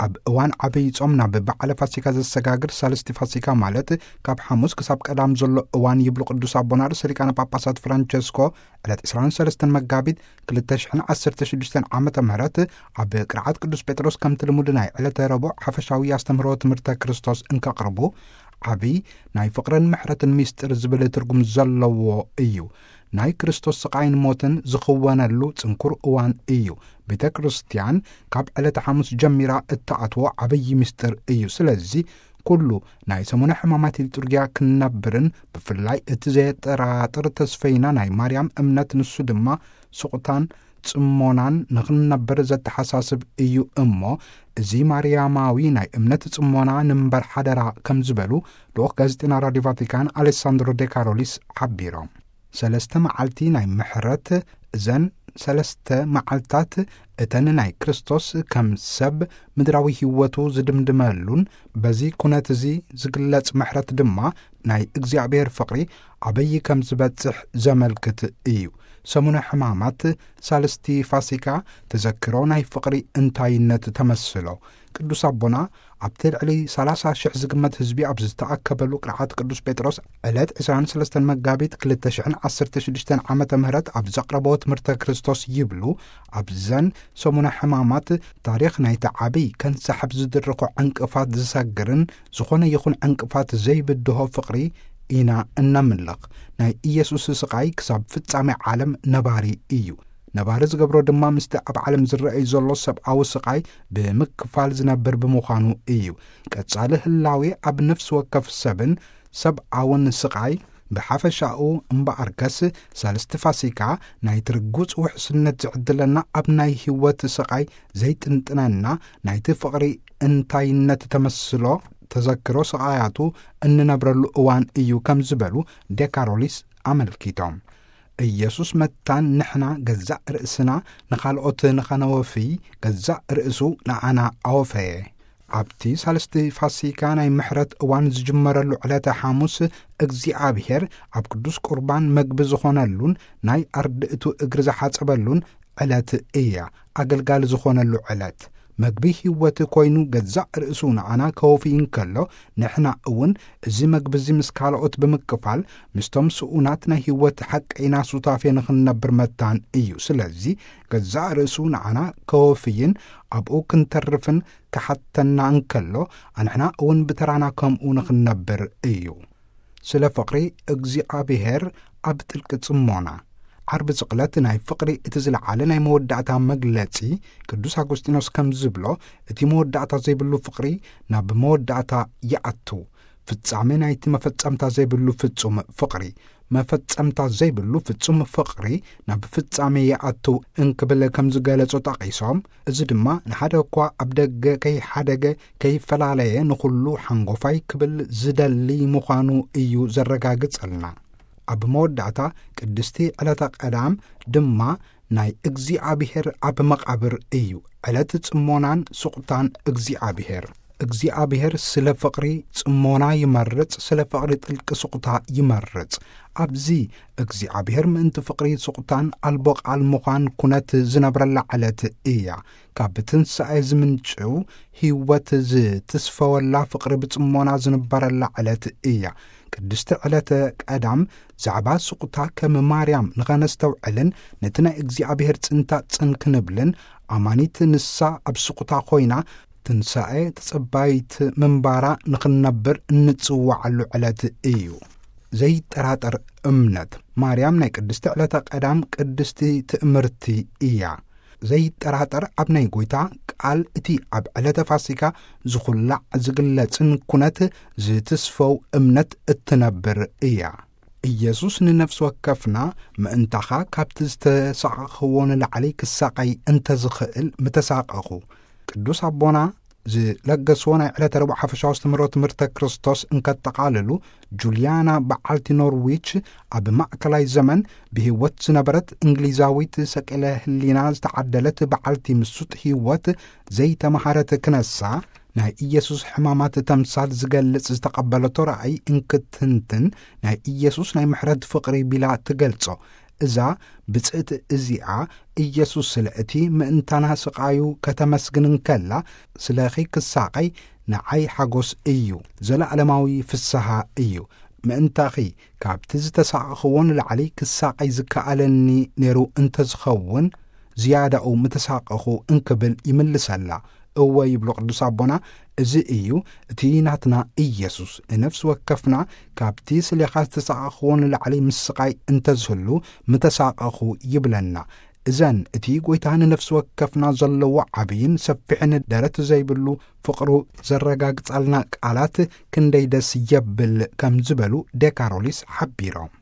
ኣብ እዋን ዓብይ ጾም ናብ በዓለ ፋሲካ ዘሰጋግር ሳልስቲ ፋሲካ፣ ማለት ካብ ሓሙስ ክሳብ ቀዳም ዘሎ እዋን፣ ይብሉ ቅዱስ ኣቦና ርእሰ ሊቃነ ጳጳሳት ፍራንቸስኮ፣ ዕለት ዕስራን ሰለስተን መጋቢት ክልተ ሽሕን ዓሰርተ ሽዱሽተን ዓመተ ምህረት ኣብ ቅርዓት ቅዱስ ጴጥሮስ ከምቲ ልሙድ ናይ ዕለተ ረቡዕ ሓፈሻዊ ኣስተምህሮ ትምህርተ ክርስቶስ እንከቕርቡ፣ ዓብይ ናይ ፍቕርን ምሕረትን ምስጢር ዝብል ትርጉም ዘለዎ እዩ። ናይ ክርስቶስ ስቓይን ሞትን ዝኽወነሉ ጽንኩር እዋን እዩ። ቤተ ክርስቲያን ካብ ዕለተ ሓሙስ ጀሚራ እትኣትዎ ዓብይ ምስጢር እዩ። ስለዚ ኩሉ ናይ ሰሙነ ሕማማት ሊጡርጊያ ክንነብርን ብፍላይ እቲ ዘየጠራጥር ተስፈይና ናይ ማርያም እምነት፣ ንሱ ድማ ስቕታን ጽሞናን ንኽንነብር ዘተሓሳስብ እዩ እሞ፣ እዚ ማርያማዊ ናይ እምነት ጽሞና ንንበር ሓደራ ከም ዝበሉ ልኡኽ ጋዜጠኛ ራዲዮ ቫቲካን ኣሌሳንድሮ ዴካሮሊስ ሓቢሮም። ሰለስተ መዓልቲ ናይ ምሕረት፣ እዘን ሰለስተ መዓልታት እተን ናይ ክርስቶስ ከም ሰብ ምድራዊ ህይወቱ ዝድምድመሉን፣ በዚ ኩነት እዚ ዝግለጽ ምሕረት ድማ ናይ እግዚኣብሔር ፍቕሪ ኣበይ ከም ዝበጽሕ ዘመልክት እዩ። ሰሙነ ሕማማት፣ ሳልስቲ ፋሲካ፣ ተዘክሮ ናይ ፍቕሪ እንታይነት ተመስሎ። ቅዱስ ኣቦና ኣብቲ ልዕሊ ሰላሳ ሽሕ ዝግመት ህዝቢ ኣብ ዝተኣከበሉ ቅርዓት ቅዱስ ጴጥሮስ ዕለት ዕስራን ሰለስተን መጋቢት ክልተ ሽሕን ዓሰርተ ሽዱሽተን ዓመተ ምህረት ኣብ ዘቕረቦ ትምህርተ ክርስቶስ ይብሉ፣ ኣብዘን ሰሙነ ሕማማት ታሪኽ ናይቲ ዓብይ ከንሳሕብ ዝድርኾ ዕንቅፋት ዝሰግርን ዝኾነ ይኹን ዕንቅፋት ዘይብድሆ ፍቕሪ ኢና እነምልኽ። ናይ ኢየሱስ ስቓይ ክሳብ ፍጻሜ ዓለም ነባሪ እዩ። ነባሪ ዝገብሮ ድማ ምስቲ ኣብ ዓለም ዝረኣይ ዘሎ ሰብኣዊ ስቓይ ብምክፋል ዝነብር ብምዃኑ እዩ። ቀጻሊ ህላዌ ኣብ ነፍሲ ወከፍ ሰብን ሰብኣውን ስቓይ ብሓፈሻኡ እምበኣርከስ፣ ሳልስቲ ፋሲካ ናይቲ ርጉጽ ውሕስነት ዝዕድለና፣ ኣብ ናይ ህይወት ስቓይ ዘይጥንጥነና፣ ናይቲ ፍቕሪ እንታይነት ተመስሎ ተዘክሮ ስቓያቱ እንነብረሉ እዋን እዩ ከም ዝበሉ ዴካሮሊስ ኣመልኪቶም። ኢየሱስ መታን ንሕና ገዛእ ርእስና ንኻልኦት ንኸነወፍይ፣ ገዛእ ርእሱ ንኣና ኣወፈየ። ኣብቲ ሳልስቲ ፋሲካ ናይ ምሕረት እዋን ዝጅመረሉ ዕለተ ሓሙስ፣ እግዚኣብሔር ኣብ ቅዱስ ቁርባን መግቢ ዝኾነሉን ናይ ኣርድእቱ እግሪ ዝሓጸበሉን ዕለት እያ። ኣገልጋሊ ዝኾነሉ ዕለት፣ መግቢ ህይወት ኮይኑ ገዛእ ርእሱ ንኣና ከወፊ እንከሎ፣ ንሕና እውን እዚ መግቢ እዚ ምስ ካልኦት ብምክፋል፣ ምስቶም ስኡናት ናይ ህይወት ሓቀይና ሱታፌ ንኽንነብር መታን እዩ። ስለዚ ገዛእ ርእሱ ንኣና ከወፍይን ኣብኡ ክንተርፍን ክሓተና እንከሎ፣ ኣንሕና እውን ብተራና ከምኡ ንኽንነብር እዩ። ስለ ፍቕሪ እግዚኣብሔር ኣብ ጥልቂ ጽሞና። ዓርቢ ስቕለት ናይ ፍቕሪ እቲ ዝለዓለ ናይ መወዳእታ መግለጺ። ቅዱስ ኣጎስጢኖስ ከም ዝብሎ፣ እቲ መወዳእታ ዘይብሉ ፍቕሪ ናብ መወዳእታ ይኣቱ። ፍጻሜ ናይቲ መፈጸምታ ዘይብሉ ፍጹም ፍቕሪ። መፈጸምታ ዘይብሉ ፍጹም ፍቕሪ ናብ ፍጻሜ ይኣቱ እንክብል ከም ዝገለጾ ጠቒሶም፣ እዚ ድማ ንሓደ እኳ ኣብ ደገ ከይሓደገ ከይፈላለየ ንኹሉ ሓንጎፋይ ክብል ዝደሊ ምዃኑ እዩ ዘረጋግጸልና። ኣብ መወዳእታ ቅድስቲ ዕለተ ቀዳም ድማ ናይ እግዚኣብሔር ኣብ መቓብር እዩ። ዕለት ጽሞናን ስቑታን እግዚኣብሔር። እግዚኣብሔር ስለ ፍቕሪ ጽሞና ይመርጽ፣ ስለ ፍቕሪ ጥልቂ ስቑታ ይመርጽ። ኣብዚ እግዚኣብሔር ምእንቲ ፍቕሪ ስቑታን ኣልቦ ቃል ምዃን ኩነት ዝነብረላ ዕለት እያ። ካብ ትንሳኤ ዝምንጭው ህይወት ዝትስፈወላ ፍቕሪ ብጽሞና ዝንበረላ ዕለት እያ። ቅድስቲ ዕለተ ቀዳም ዛዕባ ስቑታ ከም ማርያም ንኸነስተውዕልን ነቲ ናይ እግዚኣብሔር ጽንታ ጽን ክንብልን፣ ኣማኒት ንሳ ኣብ ስቑታ ኮይና ትንሳኤ ተጸባይት ምንባራ ንኽንነብር እንጽዋዓሉ ዕለት እዩ። ዘይጠራጠር እምነት። ማርያም ናይ ቅድስቲ ዕለተ ቀዳም ቅድስቲ ትእምርቲ እያ። ዘይጠራጠር ኣብ ናይ ጐይታ ቃል፣ እቲ ኣብ ዕለተ ፋሲካ ዝኹላዕ ዝግለጽን ኩነት ዝትስፈው እምነት እትነብር እያ። ኢየሱስ ንነፍሲ ወከፍና ምእንታኻ ካብቲ ዝተሳቐኽዎ ንላዕሊ ክሳቐይ እንተ ዝኽእል ምተሳቐኹ። ቅዱስ ኣቦና ዝለገስዎ ናይ ዕለተ ረቡዕ ሓፈሻዊ ኣስተምህሮ ትምህርተ ክርስቶስ እንከጠቓልሉ፣ ጁልያና በዓልቲ ኖርዊች፣ ኣብ ማእከላይ ዘመን ብህይወት ዝነበረት እንግሊዛዊት ሰቂለ ህሊና ዝተዓደለት በዓልቲ ምሱጥ ህይወት ዘይተመሃረት ክነሳ፣ ናይ ኢየሱስ ሕማማት ተምሳል ዝገልጽ ዝተቐበለቶ ራእይ እንክትንትን፣ ናይ ኢየሱስ ናይ ምሕረት ፍቕሪ ቢላ ትገልጾ። እዛ ብጽእቲ እዚኣ፣ ኢየሱስ ስለ እቲ ምእንታና ስቓዩ ከተመስግን እንከላ፣ ስለኺ ክሳቐይ ንዓይ ሓጎስ እዩ፣ ዘለዓለማዊ ፍስሃ እዩ። ምእንታኺ ካብቲ ዝተሳቐኽዎ ንላዕሊ ክሳቐይ ዝከኣለኒ ነይሩ እንተዝኸውን፣ ዝያዳኡ ምተሳቐኹ እንክብል ይምልሰላ። እወ ይብሉ ቅዱስ ኣቦና፣ እዚ እዩ እቲ ናትና ኢየሱስ። ንነፍሲ ወከፍና ካብቲ ስሌኻ ዝተሳቐኽዎ ንላዕሊ ምስቓይ እንተዝህሉ፣ ምተሳቐኹ ይብለና። እዘን እቲ ጐይታ ንነፍሲ ወከፍና ዘለዎ ዓብይን ሰፊሕን ደረት ዘይብሉ ፍቕሩ ዘረጋግጻልና ቃላት ክንደይ ደስ የብል ከም ዝበሉ ዴካሮሊስ ሓቢሮም።